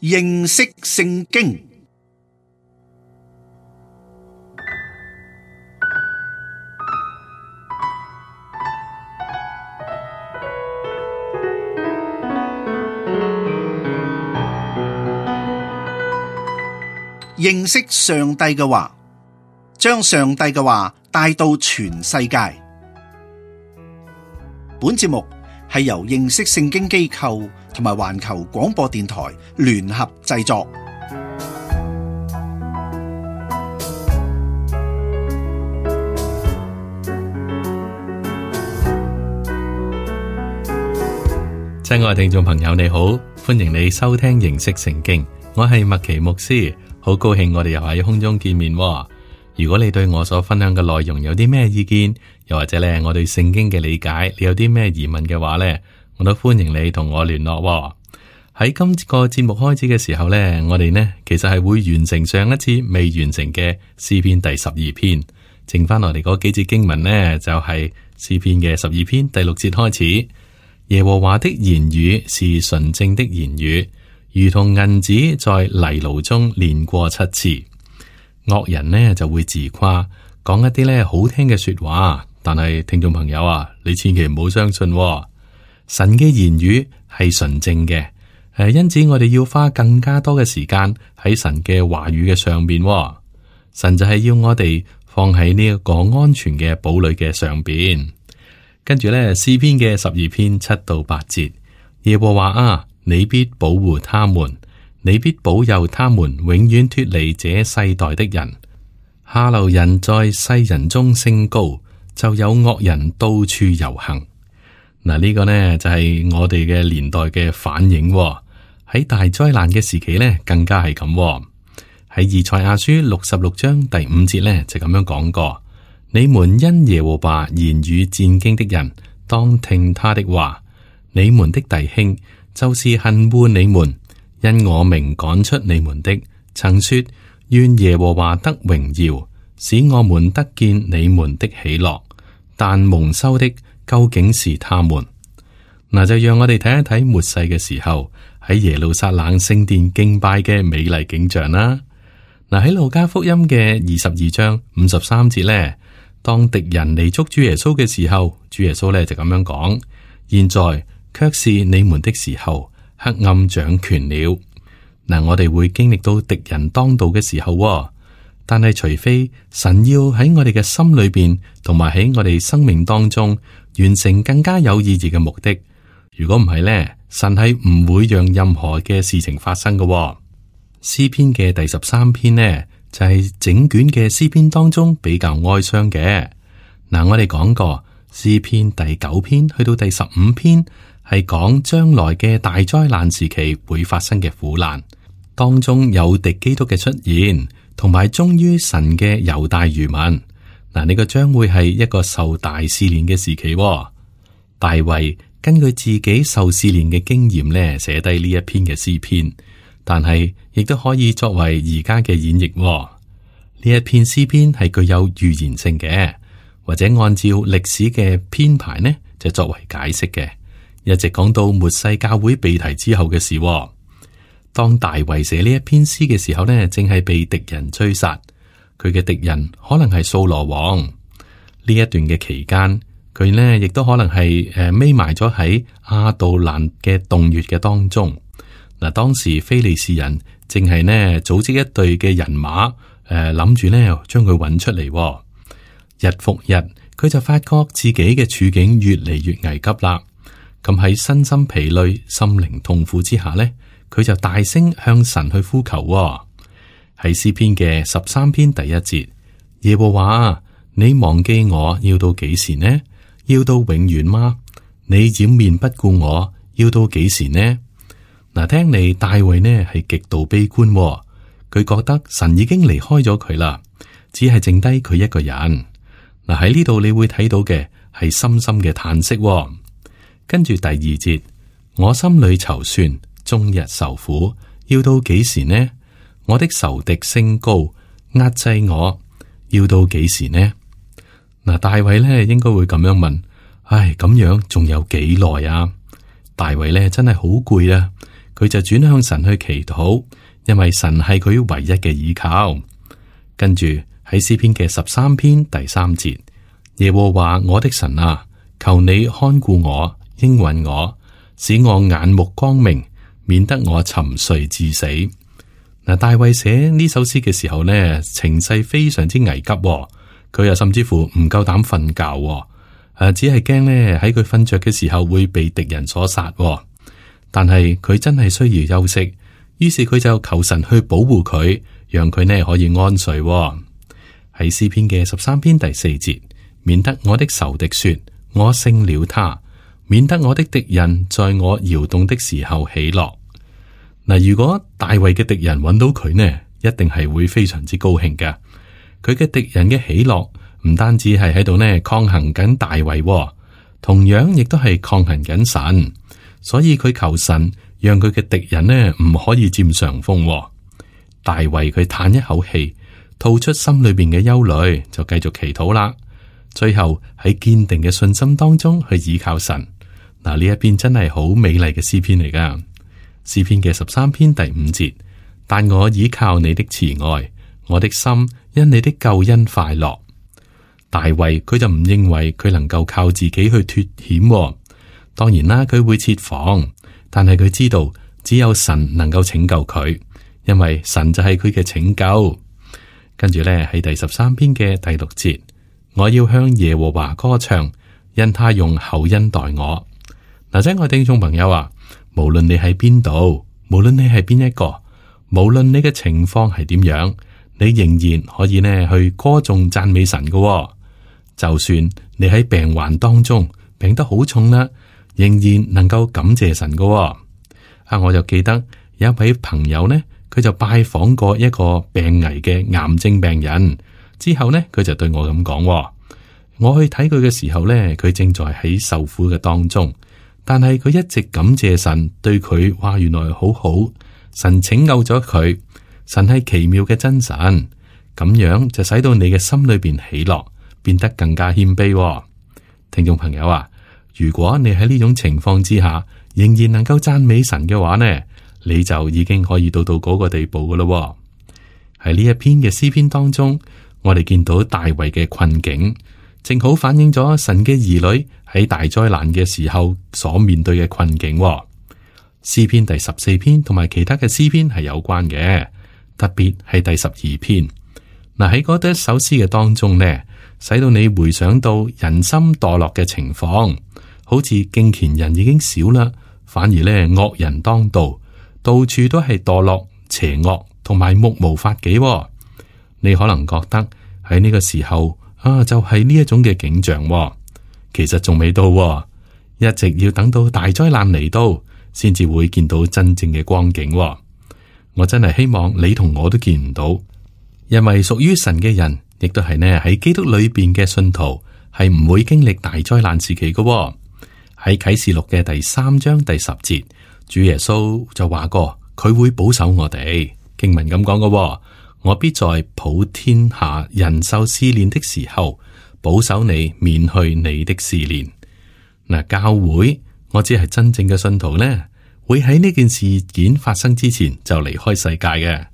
認識聖經。認識上帝嘅話，將上帝嘅話帶到全世界。本節目係由認識聖經機構同埋環球廣播電台聯合製作。親愛聽眾朋友，你好，歡迎你收聽認識聖經，我係麥奇牧師，好高興我哋又喺空中見面。如果你對我所分享嘅內容有啲咩意見，又或者咧我對聖經嘅理解，你有啲咩疑問嘅話咧，我都歡迎你同我聯絡。喺今個節目開始嘅時候咧，我哋呢其實係會完成上一次未完成嘅詩篇第12篇，剩翻落嚟嗰幾節經文呢，就係詩篇嘅12篇第6節開始。耶和華的言語是純正的言語，如同銀子在泥爐中煉過7次。惡人呢就會自誇，講一啲咧好聽嘅說話，但係聽眾朋友啊，你千祈唔好相信喎。神嘅言語係純正嘅，因此我哋要花更加多嘅時間喺神嘅話語嘅上邊喎。神就係要我哋放喺呢一個安全嘅堡壘嘅上邊。跟住咧，詩篇嘅12篇7到8節，耶和華啊，你必保護他們。你必保佑他們永遠脫離這世代的人。下流人在世人中升高，就有惡人到處遊行。嗱，呢個呢就係我哋嘅年代嘅反應。喺大災難嘅時期呢，更加係咁。喺以賽亞書66章第5節呢，就咁樣講過：你們因耶和華言語戰驚的人，當聽他的話。你們的弟兄就是恨惡你們，因我名趕出你們的，曾說願耶和華得榮耀，使我們得見你們的喜樂。但蒙羞的究竟是他們。嗱，就讓我哋睇一睇末世嘅時候喺耶路撒冷聖殿敬拜嘅美麗景象啦。嗱，喺路加福音嘅22章53節呢，當敵人嚟捉主耶穌嘅時候，主耶穌呢就咁樣講：現在卻是你們的時候。黑暗掌權了。嗱，我哋會經歷到敵人當道嘅時候，但係除非神要喺我哋嘅心裏邊，同埋喺我哋生命當中完成更加有意義嘅目的。如果唔係呢，神係唔會讓任何嘅事情發生嘅。詩篇嘅第13篇呢，就係整卷嘅詩篇當中比較哀傷嘅。嗱，我哋講過詩篇第9篇去到第15篇。係講將來嘅大災難時期會發生嘅苦難，當中有敵基督嘅出現，同埋忠於神嘅猶大餘民。嗱，呢個將會係一個受大試煉嘅時期。大衛根據自己受試煉嘅經驗咧，寫低呢一篇嘅詩篇，但係亦都可以作為而家嘅演繹。呢一篇詩篇係具有預言性嘅，或者按照歷史嘅編排呢，就作為解釋嘅。一直講到末世教會被提之後嘅事。當大衛寫呢一篇詩嘅時候呢，正係被敵人追殺，佢嘅敵人可能係掃羅王。呢一段嘅期間，佢呢亦都可能係匿埋咗喺亞杜蘭嘅洞穴嘅當中。嗱，當時非利士人正係呢組織一隊嘅人馬，諗住呢將佢揾出嚟。日復日，佢就發覺自己嘅處境越嚟越危急啦。咁喺身心疲累、心靈痛苦之下呢，佢就大聲向神去呼求。喺詩篇嘅13篇第1節，耶和華，你忘記我要到幾時呢？要到永遠嗎？你掩面不顧我要到幾時呢？嗱，聽嚟大衛呢係極度悲觀，佢覺得神已經離開咗佢啦，只係剩低佢一個人。嗱，喺呢度你會睇到嘅係深深嘅嘆息。跟住第2節，我心裏籌算，終日受苦，要到幾時呢？我的仇敵升高，壓制我，要到幾時呢？嗱，大衛咧應該會咁樣問：唉，咁樣仲有幾耐啊？大衛咧真係好攰啊！佢就轉向神去祈禱，因為神係佢唯一嘅依靠。跟住喺詩篇嘅13篇第3節，耶和華我的神啊，求你看顧我，應允我，使我眼目光明，免得我沉睡至死。嗱，大衛寫呢首詩嘅時候呢，情勢非常之危急，佢又甚至乎唔夠膽瞓覺，只係驚呢喺佢瞓着嘅時候會被敵人所殺。但係佢真係需要休息，於是佢就求神去保護佢，讓佢呢可以安睡。喺詩篇嘅13篇第4節，免得我的仇敵說我勝了他，免得我的敵人在我搖動的時候喜樂。嗱，如果大衛嘅敵人揾到佢呢，一定係會非常之高興㗎。佢嘅敵人嘅喜樂唔單止係喺度呢抗衡緊大衛，同樣亦都係抗衡緊神。所以佢求神讓佢嘅敵人呢唔可以佔上風。大衛佢嘆一口氣，吐出心裏邊嘅憂慮，就繼續祈禱啦。最後喺堅定嘅信心當中去倚靠神。嗱，呢一篇真係好美麗嘅詩篇嚟噶。詩篇嘅13篇第5節，但我倚靠你的慈愛，我的心因你的救恩快樂。大衛佢就唔認為佢能夠靠自己去脫險。當然啦，佢會設防，但係佢知道只有神能夠拯救佢，因為神就係佢嘅拯救。跟住咧喺第13篇嘅第6節，我要向耶和華歌唱，因他用厚恩待我。嗱，親愛聽眾朋友啊，無論你喺邊度，無論你係邊一個，無論你嘅情況係點樣，你仍然可以呢去歌頌讚美神嘅。就算你喺病患當中病得好重啦，仍然能夠感謝神嘅。我就記得有一位朋友呢，佢就拜訪過一個病危嘅癌症病人，之後呢，佢就對我咁講，我去睇佢嘅時候呢，佢正在喺受苦嘅當中。但係佢一直感謝神對佢，話原來好好，神拯救咗佢，神係奇妙嘅真神，咁樣就使到你嘅心裏邊喜樂，變得更加謙卑。聽眾朋友啊，如果你喺呢種情況之下，仍然能夠讚美神嘅話呢，你就已經可以到嗰個地步噶咯。喺呢一篇嘅詩篇當中，我哋見到大衛嘅困境，正好反映咗神嘅兒女喺大災難嘅時候所面對嘅困境。詩篇第14篇同埋其他嘅詩篇係有關嘅，特別係第12篇。嗱，喺嗰一首詩嘅當中呢，使到你回想到人心墮落嘅情況，好似敬虔人已經少啦，反而呢惡人當道，到處都係墮落、邪惡同埋目無法紀。你可能覺得喺呢個時候就係呢一種嘅景象。其實仲未到，一直要等到大災難嚟到，先至會見到真正嘅光景。我真係希望你同我都見唔到，因為屬於神嘅人，亦都係呢喺基督裏邊嘅信徒，係唔會經歷大災難時期嘅。喺啟示錄嘅第3章第10節，主耶穌就話過，佢會保守我哋。經文咁講嘅，我必在普天下人受試煉的時候，保守你免去你的試煉。嗱，教會我只係真正嘅信徒呢，會喺呢件事件發生之前就離開世界嘅。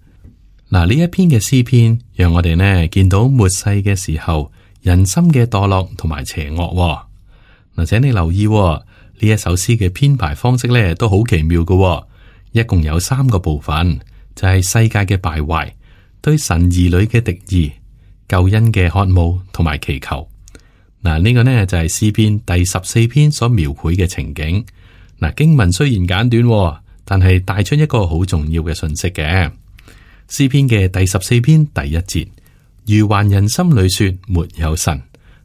嗱，呢一篇嘅詩篇，讓我哋呢見到末世嘅時候人心嘅墮落同埋邪惡。嗱，請你留意呢一首詩嘅編排方式呢都好奇妙嘅，一共有3個部分，就係世界嘅敗壞、對神兒女嘅敵意、救恩嘅渴慕同埋祈求。嗱，呢個呢就係詩篇第14篇所描繪嘅情景。嗱，經文雖然簡短，但係帶出一個好重要嘅信息嘅。詩篇嘅第14篇第1節，愚頑人心裏說沒有神，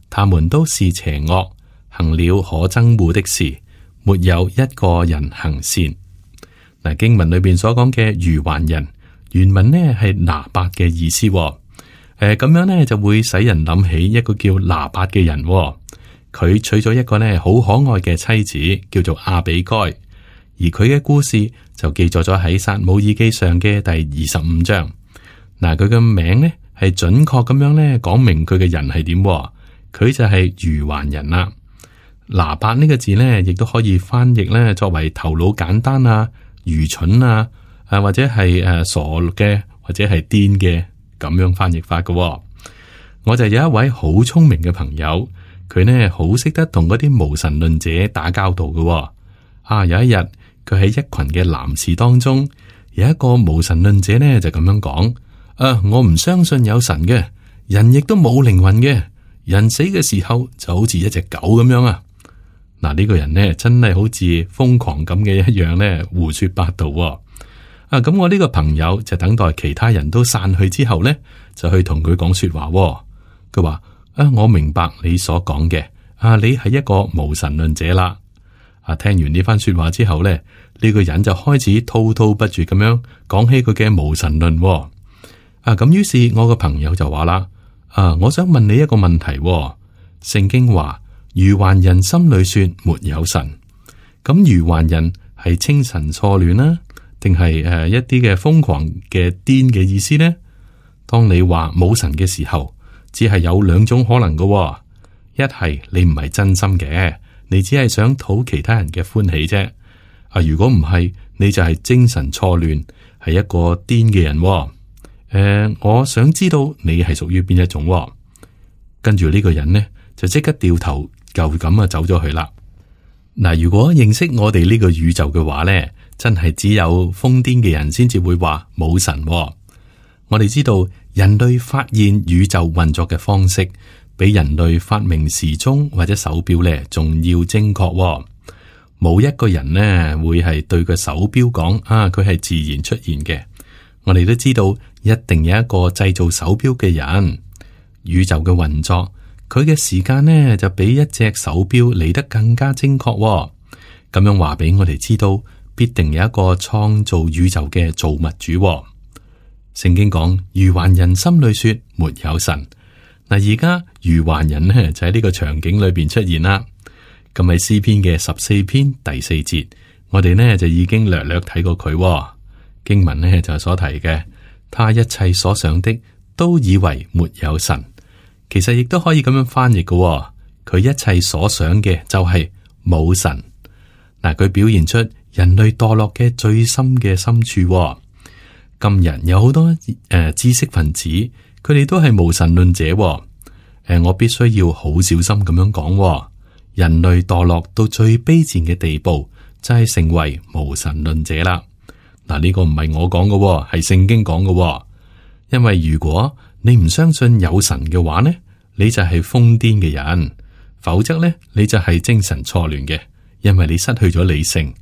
他們都是邪惡，行了可憎惡的事，沒有一個人行善。嗱，經文裏邊所講嘅愚頑人，原文呢係拿八嘅意思。咁樣呢就會使人諗起一個叫拿八嘅人。佢娶咗一個呢好可愛嘅妻子，叫做亞比該，而佢嘅故事就記載咗喺撒母耳記上嘅第25章。嗱，佢嘅名呢係準確咁樣呢講明佢嘅人係點，佢就係愚頑人啦。拿八呢個字呢，亦都可以翻譯呢作為頭腦簡單啊、愚蠢啊，或者係傻嘅，或者係癲嘅咁樣翻譯法嘅。我就有一位好聰明嘅朋友，佢呢好識得同嗰啲無神論者打交道嘅。有一日佢喺一群嘅男士當中，有一個無神論者呢就咁樣講：我唔相信有神嘅，人亦都冇靈魂嘅，人死嘅時候就好似一隻狗咁樣啊！嗱，呢個人呢真係好似瘋狂咁嘅一樣呢，胡說八道。咁我呢個朋友就等待其他人都散去之後呢，就去同佢講說話。佢話：我明白你所講嘅，你係一個無神論者啦。聽完呢番說話之後呢，呢個人就開始滔滔不絕咁樣講起佢嘅無神論。咁於是我個朋友就話啦：我想問你一個問題。聖經話愚頑人心裏說沒有神，咁愚頑人係清神錯亂啦，定係一啲嘅瘋狂嘅癲嘅意思呢？當你話冇神嘅時候，只係有兩種可能嘅，一係你唔係真心嘅，你只係想討其他人嘅歡喜啫。如果唔係，你就係精神錯亂，係一個癲嘅人。我想知道你係屬於邊一種。跟住呢個人呢，就即刻掉頭就咁走咗去啦。嗱，如果認識我哋呢個宇宙嘅話呢，真係只有瘋癲嘅人先至會話冇神。我哋知道人類發現宇宙運作嘅方式，比人類發明時鐘或者手錶咧仲要精確。冇一個人呢會係對個手錶講佢係自然出現嘅。我哋都知道一定有一個製造手錶嘅人。宇宙嘅運作，佢嘅時間呢就比一隻手錶嚟得更加精確。咁樣話俾我哋知道，必定有一個創造宇宙嘅造物主。聖經講愚頑人心裏說沒有神。嗱，而家愚頑人呢就喺呢個場景裏邊出現啦。咁喺詩篇嘅14篇第4節，我哋呢就已經略略睇過佢。經文呢就所提嘅，他一切所想的都以為沒有神。其實亦都可以咁樣翻譯嘅，佢一切所想嘅就係冇神。嗱，佢表現出人類墮落嘅最深嘅深處。今日有好多知識分子，佢哋都係無神論者。我必須要好小心咁樣講，人類墮落到最卑賤嘅地步，就係成為無神論者啦。嗱，呢個唔係我講嘅，係聖經講嘅。因為如果你唔相信有神嘅話呢，你就係瘋癲嘅人；否則呢，你就係精神錯亂嘅，因為你失去咗理性。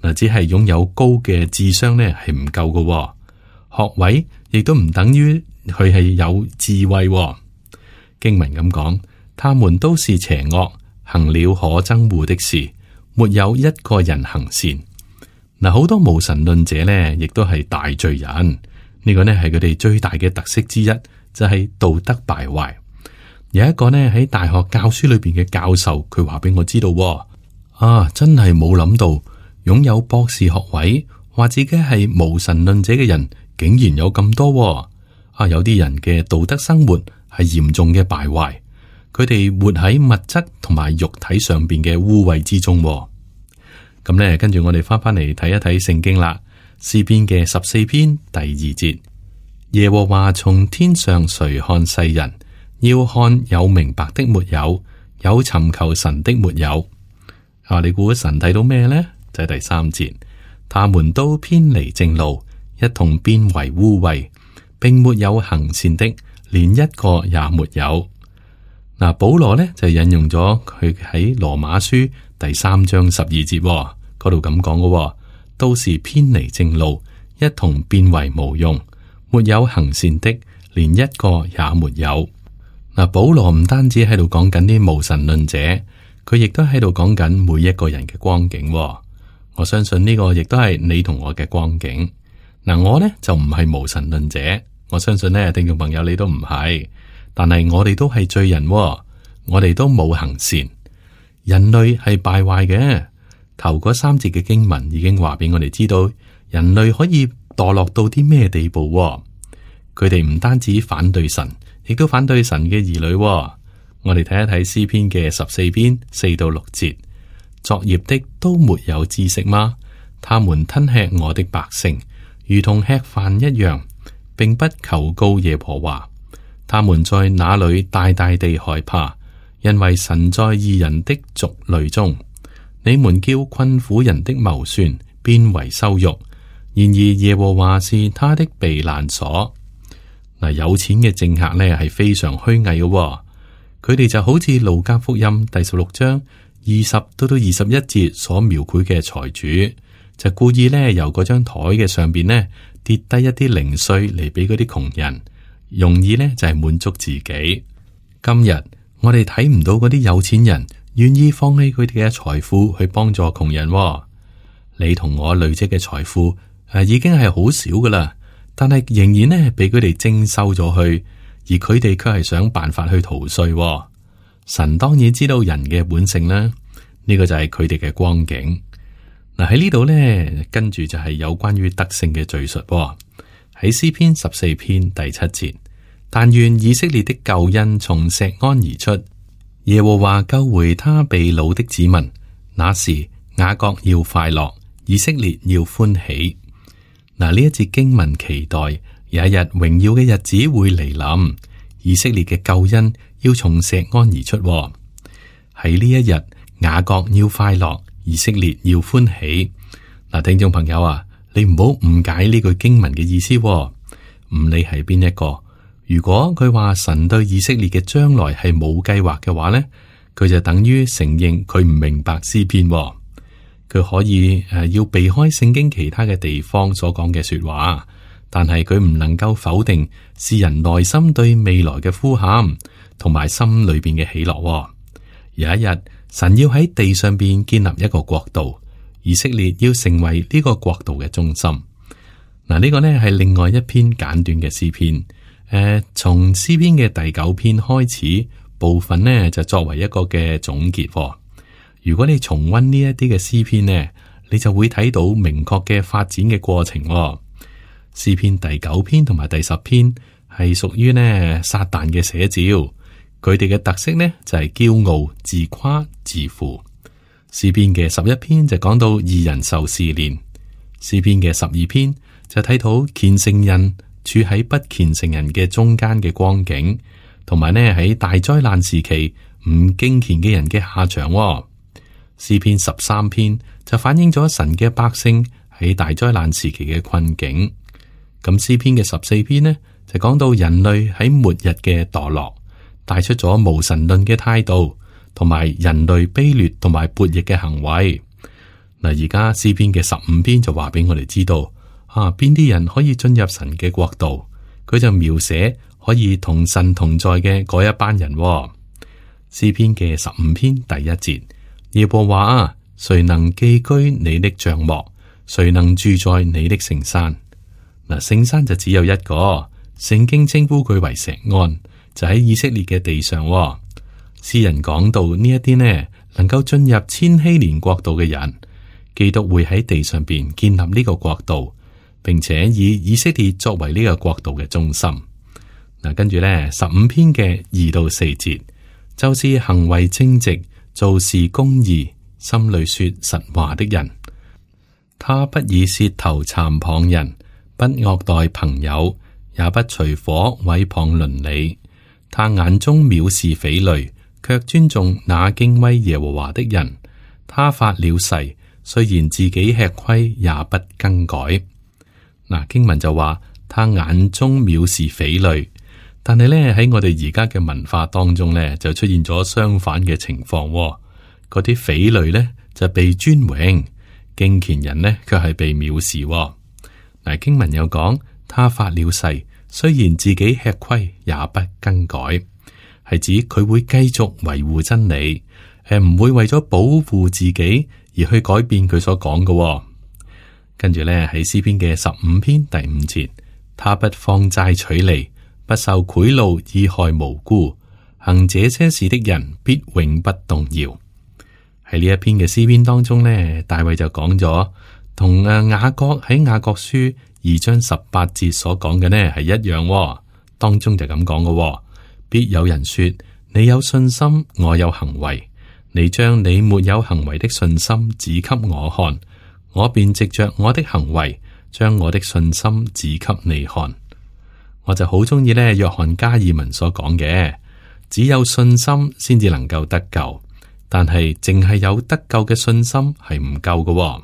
嗱，只係擁有高嘅智商呢係唔夠嘅。學位亦都唔等於佢係有智慧。經文咁講，他們都是邪惡，行了可憎惡的事，沒有一個人行善。嗱，好多無神論者呢，亦都係大罪人。呢個呢係佢哋最大嘅特色之一，就係道德敗壞。有一個呢喺大學教書裏邊嘅教授，佢話俾我知道，真係冇諗到擁有博士學位，話自己係無神論者嘅人，竟然有咁多。有啲人嘅道德生活係嚴重嘅敗壞，佢哋活喺物質同埋肉體上邊嘅污穢之中。咁呢，跟住我哋翻嚟睇一睇聖經啦。詩篇嘅14篇第2節，耶和華從天上垂看世人，要看有明白的沒有，有尋求神的沒有。你估神睇到咩呢？就係第3節，他們都偏離正路，一同變為污穢，並沒有行善的，連一個也沒有。嗱，保羅呢就引用咗佢喺羅馬書第3章12節嗰度咁講嘅，都是偏離正路，一同變為無用，沒有行善的，連一個也沒有。嗱，保羅唔單止喺度講緊啲無神論者，佢亦都喺度講緊每一個人嘅光景。我相信呢個亦都係你同我嘅光景。嗱，我呢就唔係無神論者，我相信呢聽眾朋友你都唔係，但係我哋都係罪人，我哋都冇行善，人類係敗壞嘅。頭嗰3節嘅經文已經話俾我哋知道，人類可以墮落到啲咩地步。佢哋唔單止反對神，亦都反對神嘅兒女。我哋睇一睇詩篇嘅14篇4到6節，作孽的都沒有知識嗎？他們吞吃我的百姓，如同吃飯一樣，並不求告耶和華。他們在那裏大大地害怕，因為神在義人的族類中。你們叫困苦人的謀算變為羞辱，然而耶和華是他的避難所。嗱，有錢嘅政客呢係非常虛偽嘅，佢哋就好似路加福音第16章20到21節所描繪嘅財主，就故意呢由嗰張台嘅上邊呢跌低一啲零碎嚟俾嗰啲窮人，容易呢就係滿足自己。今日我哋睇唔到嗰啲有錢人願意放棄佢哋嘅財富去幫助窮人。你同我累積嘅財富已經係好少噶啦，但係仍然呢俾佢哋徵收咗去，而佢哋卻係想辦法去逃稅。神當然知道人嘅本性啦，呢個就係佢哋嘅光景。嗱，喺呢度呢，跟住就係有關於得勝嘅敘述。喺詩篇14篇第7節，但願以色列的救恩從錫安而出，耶和華救回他被擄的子民。那時雅各要快樂，以色列要歡喜。嗱，呢一節經文期待有一日榮耀嘅日子會嚟臨，以色列嘅救恩要從錫安而出。喺呢一日，雅各要快樂，以色列要歡喜。嗱，聽眾朋友啊，你唔好誤解呢句經文嘅意思。唔理係邊一個，如果佢話神對以色列嘅將來係冇計劃嘅話呢，佢就等於承認佢唔明白詩篇。佢可以要避開聖經其他嘅地方所講嘅說話，但係佢唔能夠否定詩人內心對未來嘅呼喊，同埋心裏邊嘅喜樂。有一日，神要喺地上邊建立一個國度，以色列要成為呢個國度嘅中心。嗱，呢個呢係另外一篇簡短嘅詩篇。從詩篇嘅第9篇開始，部分呢就作為一個嘅總結。如果你重溫呢一啲嘅詩篇呢，你就會睇到明確嘅發展嘅過程。詩篇第9篇同埋第10篇係屬於呢撒旦嘅寫照，佢哋嘅特色呢就係驕傲、自誇、自負。詩篇嘅11篇就講到義人受試煉，詩篇嘅12篇就睇到虔誠人處喺不虔誠人嘅中間嘅光景，同埋呢喺大災難時期唔敬虔嘅人嘅下場。詩篇13篇就反映咗神嘅百姓喺大災難時期嘅困境。咁詩篇嘅14篇呢就講到人類喺末日嘅墮落，帶出咗無神論嘅態度，同埋人類卑劣同埋悖逆嘅行為。嗱，而家詩篇嘅15篇就話俾我哋知道邊啲人可以進入神嘅國度，佢就描寫可以同神同在嘅嗰一班人。詩篇嘅15篇第1節。耶和華啊，誰能寄居你的帳幕？誰能住在你的聖山？嗱，聖山就只有一個，聖經稱呼佢為錫安，就喺以色列嘅地上。詩人講到呢一啲呢，能夠進入千禧年國度嘅人，基督會喺地上邊建立呢個國度，並且以以色列作為呢個國度嘅中心。嗱，跟住呢15篇嘅2到4節，就是行為正直，做事公義，心裏說實話的人。他不以舌頭讒謗人，不惡待朋友，也不隨夥毀謗鄰里。他眼中藐視匪類，卻尊重那敬畏耶和華的人。他發了誓，雖然自己吃虧，也不更改。嗱，經文就話他眼中藐視匪類。但係咧，喺我哋而家嘅文化當中咧，就出現咗相反嘅情況。嗰啲匪類咧就被尊榮，敬虔人呢卻係被藐視。嗱，經文有講，他發了誓，雖然自己吃虧，也不更改，係指佢會繼續維護真理，唔會為咗保護自己而去改變佢所講嘅。跟住咧喺詩篇嘅15篇第5節，他不放債取利，不受賄賂以害無辜，行這些事的人必永不動搖。喺呢一篇嘅詩篇當中呢，大衛就講咗，同雅各喺雅各書2章18節所講嘅呢係一樣。當中就咁講嘅，必有人說：你有信心，我有行為。你將你沒有行為的信心指給我看，我便藉着我的行為，將我的信心指給你看。我就好中意呢約翰加爾文所講嘅，只有信心先至能夠得救，但係淨係有得救嘅信心係唔夠嘅。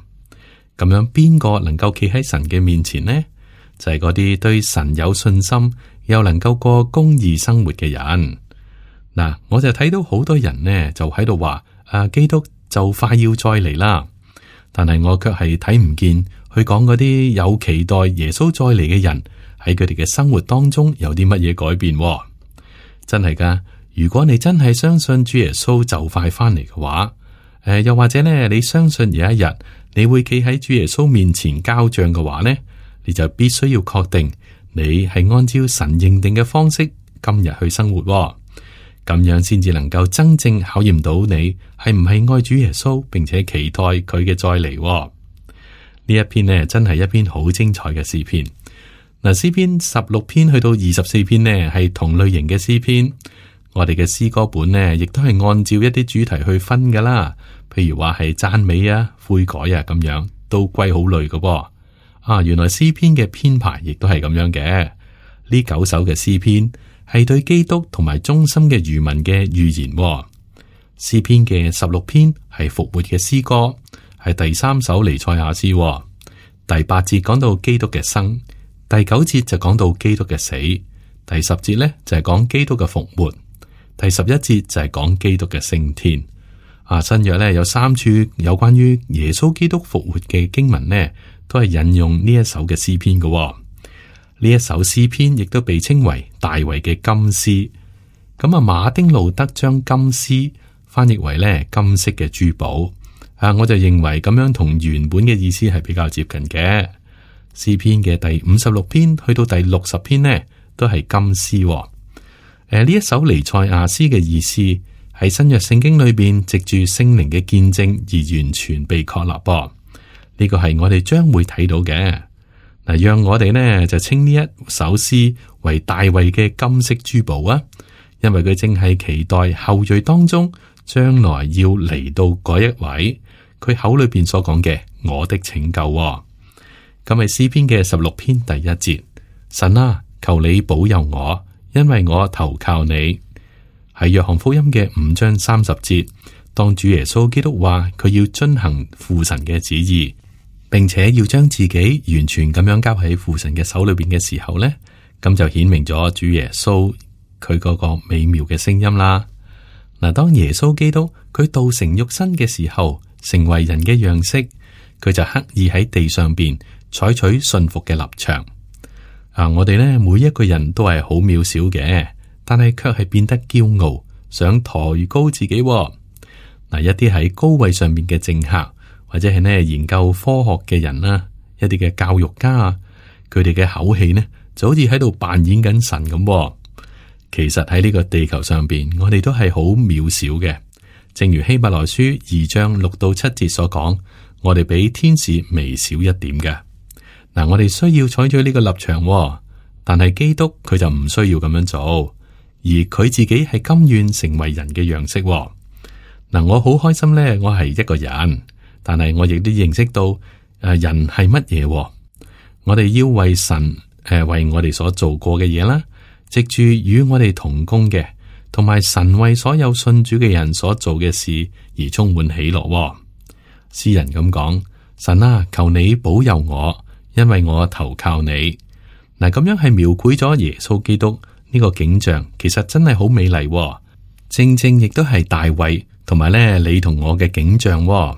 咁樣邊個能夠企喺神嘅面前呢？就係嗰啲對神有信心又能夠過公義生活嘅人。嗱，我就睇到好多人呢就喺度話，基督就快要再嚟啦，但係我卻係睇唔見去講嗰啲有期待耶穌再嚟嘅人喺佢哋嘅生活當中有啲乜嘢改變。真係噶，如果你真係相信主耶穌就快翻嚟嘅話，又或者呢你相信有一日你會企喺主耶穌面前交賬嘅話呢，你就必須要確定你係按照神認定嘅方式今日去生活，咁樣先至能夠真正考驗到你係唔係愛主耶穌，並且期待佢嘅再嚟。呢一篇呢真係一篇好精彩嘅詩篇。嗱，詩篇16篇去到24篇呢係同類型嘅詩篇。我哋嘅詩歌本呢亦都係按照一啲主題去分噶啦，譬如話係讚美啊、悔改啊咁樣，都歸好類嘅噃。原來詩篇嘅編排亦都係咁樣嘅。呢9首嘅詩篇係對基督同埋忠心嘅餘民嘅預言。詩篇嘅16篇係復活嘅詩歌，係第3首彌賽亞詩。第8節講到基督嘅生，第9節就講到基督嘅死，第10節呢就係講基督嘅復活，第11節就係講基督嘅升天。新約呢有3處有關於耶穌基督復活嘅經文呢，都係引用呢一首嘅詩篇嘅。呢一首詩篇亦都被稱為大衛嘅金詩。咁馬丁路德將金詩翻譯為呢金色嘅珠寶。我就認為咁樣同原本嘅意思係比較接近嘅。詩篇嘅第56篇去到第60篇呢，都係金詩。呢一首彌賽亞詩嘅意思喺新約聖經裏邊藉住聖靈嘅見證而完全被確立噃。呢個係我哋將會睇到嘅。嗱，讓我哋呢就稱呢一首詩為大衛嘅金色珠寶啊，因為佢正係期待後裔當中將來要嚟到嗰一位，佢口裏邊所講嘅我的拯救。咁係詩篇嘅16篇第1節，神啊，求你保佑我，因為我投靠你。喺約翰福音嘅5章30節，當主耶穌基督話佢要遵行父神嘅旨意，並且要將自己完全咁樣交喺父神嘅手裏邊嘅時候呢，咁就顯明咗主耶穌佢嗰個美妙嘅聲音啦。嗱，當耶穌基督佢道成肉身嘅時候，成為人嘅樣式，佢就刻意喺地上邊採取順服嘅立場。我哋呢每一個人都係好渺小嘅，但係卻係變得驕傲，想抬高自己。嗱，一啲喺高位上面嘅政客，或者係呢研究科學嘅人啦，一啲嘅教育家啊，佢哋嘅口氣呢就好似喺度扮演緊神咁。其實喺呢個地球上邊，我哋都係好渺小嘅。正如希伯來書2章6到7節所講，我哋比天使微小一點嘅。嗱，我哋需要採取呢個立場，但係基督佢就唔需要咁樣做，而佢自己係甘願成為人嘅樣式。嗱，我好開心呢，我係一個人，但係我亦都認識到人係乜嘢。我哋要為神為我哋所做過嘅嘢啦，藉住與我哋同工嘅，同埋神為所有信主嘅人所做嘅事而充滿喜樂。詩人咁講：神啊，求你保佑我，因為我投靠你。嗱，咁樣係描繪咗耶穌基督呢個景象，其實真係好美麗，正正亦都係大衛同埋咧你同我嘅景象。咁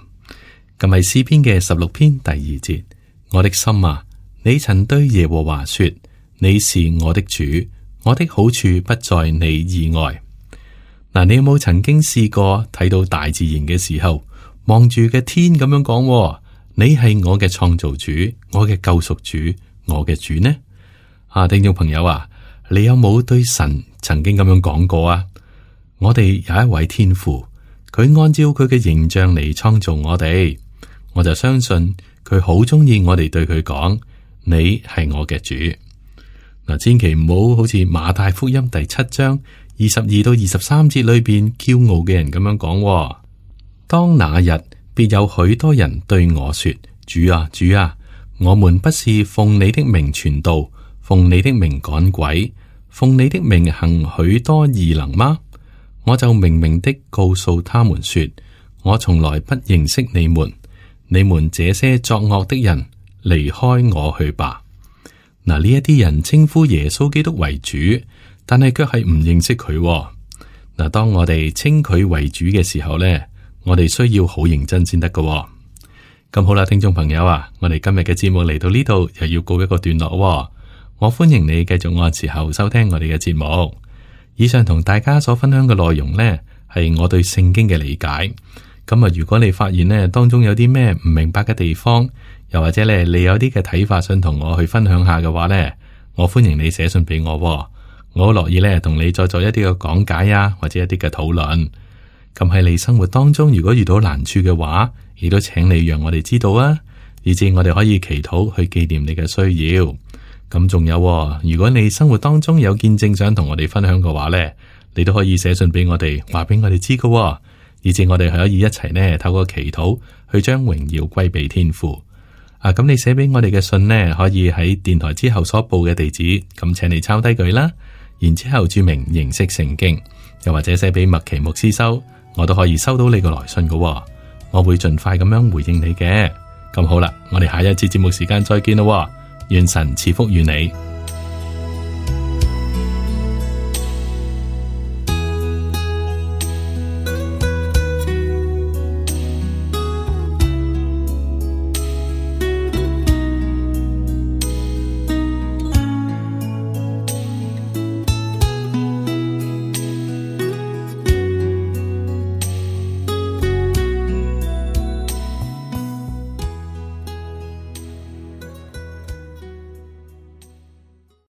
係詩篇嘅16篇第2節：我的心啊，你曾對耶和華說，你是我的主，我的好處不在你以外。嗱，你有冇曾經試過睇到大自然嘅時候，望住嘅天咁樣講，你係我嘅創造主，我嘅救贖主，我嘅主呢？聽眾朋友啊，你有冇對神曾經咁樣講過啊？我哋有一位天父，佢按照佢嘅形象嚟創造我哋，我就相信佢好中意我哋對佢講，你係我嘅主。嗱，千祈唔好似馬太福音第7章22到23節裏邊驕傲嘅人咁樣講。當那日，必有許多人對我說：主啊，主啊，我們不是奉你的名傳道，奉你的名趕鬼，奉你的名行許多異能嗎？我就明明的告訴他們說，我從來不認識你們，你們這些作惡的人，離開我去吧。嗱，呢一啲人稱呼耶穌基督為主，但係卻係唔認識佢。嗱，當我哋稱佢為主嘅時候呢，我哋需要好認真先得㗎。咁好啦，聽眾朋友啊，我哋今日嘅節目嚟到呢度，又要告一個段落。我歡迎你繼續按時候收聽我哋嘅節目。以上同大家所分享嘅內容呢，係我對聖經嘅理解。咁啊，如果你發現呢當中有啲咩唔明白嘅地方，又或者咧你有啲嘅睇法想同我去分享下嘅話呢，我歡迎你寫信俾我。我好樂意咧同你再做一啲嘅講解啊，或者一啲嘅討論。咁喺你生活當中，如果遇到難處嘅話，亦都請你讓我哋知道啊，以至我哋可以祈禱去紀念你嘅需要。咁仲有，如果你生活當中有見證想同我哋分享嘅話呢，你都可以寫信俾我哋，話俾我哋知㗎，以至我哋可以一齊呢透過祈禱去將榮耀歸俾天父。咁你寫俾我哋嘅信呢，可以喺電台之後所報嘅地址，咁請你抄低佢啦，然之後注明認識聖經，又或者寫俾麥奇牧師收，我都可以收到你個來信㗎。我會盡快咁樣回應你嘅。咁好啦，我哋下一次節目時間再見咯。願神賜福於你。